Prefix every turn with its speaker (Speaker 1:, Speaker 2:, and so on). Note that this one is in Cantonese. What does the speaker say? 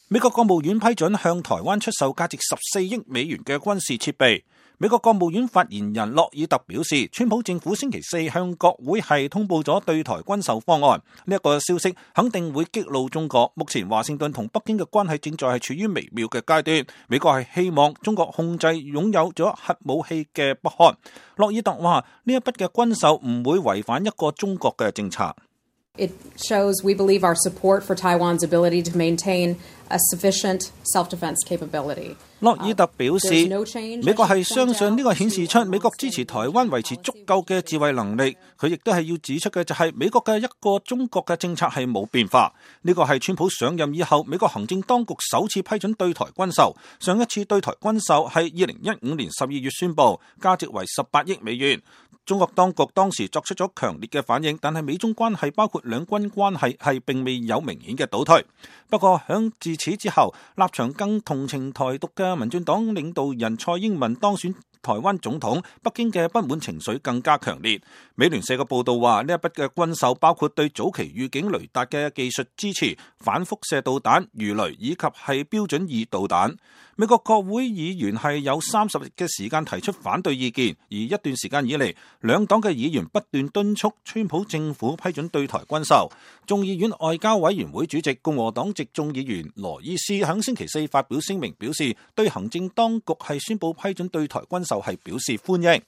Speaker 1: 美國國務院批准向台灣出售價值14億美元嘅軍事設備。美國國務院發言人洛爾特表示，川普政府星期四向國會係通報咗對台軍售方案，呢一個消息肯定會激怒中國。目前華盛頓同北京嘅關係正在係處於微妙嘅階段，美國係希望中國控制擁有咗核武器嘅北韓。洛爾特話：呢一筆嘅軍售唔會違反一個中國嘅政策。
Speaker 2: It shows we believe our support for Taiwan's ability to maintain a sufficient self-defense capability.
Speaker 1: 洛爾特表示，美國係相信呢個顯示出美國支持台灣維持足夠嘅自衛能力。佢亦都係要指出嘅就係美國嘅一個中國嘅政策係冇變化。呢個係川普上任以後美國行政當局首次批准對台軍售。上一次對台軍售係2015年12月宣布，價值為18億美元。中國當局當時作出咗強烈嘅反應，但係美中關係包括兩軍關係係並未有明顯嘅倒退。不過響自此之後，立場更同情台獨嘅民進黨領導人蔡英文當選台灣總統，北京嘅不滿情緒更加強烈。美聯社嘅報道話，呢一筆嘅軍售包括對早期預警雷達嘅技術支持、反輻射導彈、魚雷以及係標準2導彈。美國國會議員係有30日嘅時間提出反對意見，而一段時間以嚟，兩黨嘅議員不斷敦促川普政府批准對台軍售。眾議院外交委員會主席共和黨籍眾議員羅伊斯喺星期四發表聲明，表示對行政當局係宣布批准對台軍售係表示歡迎。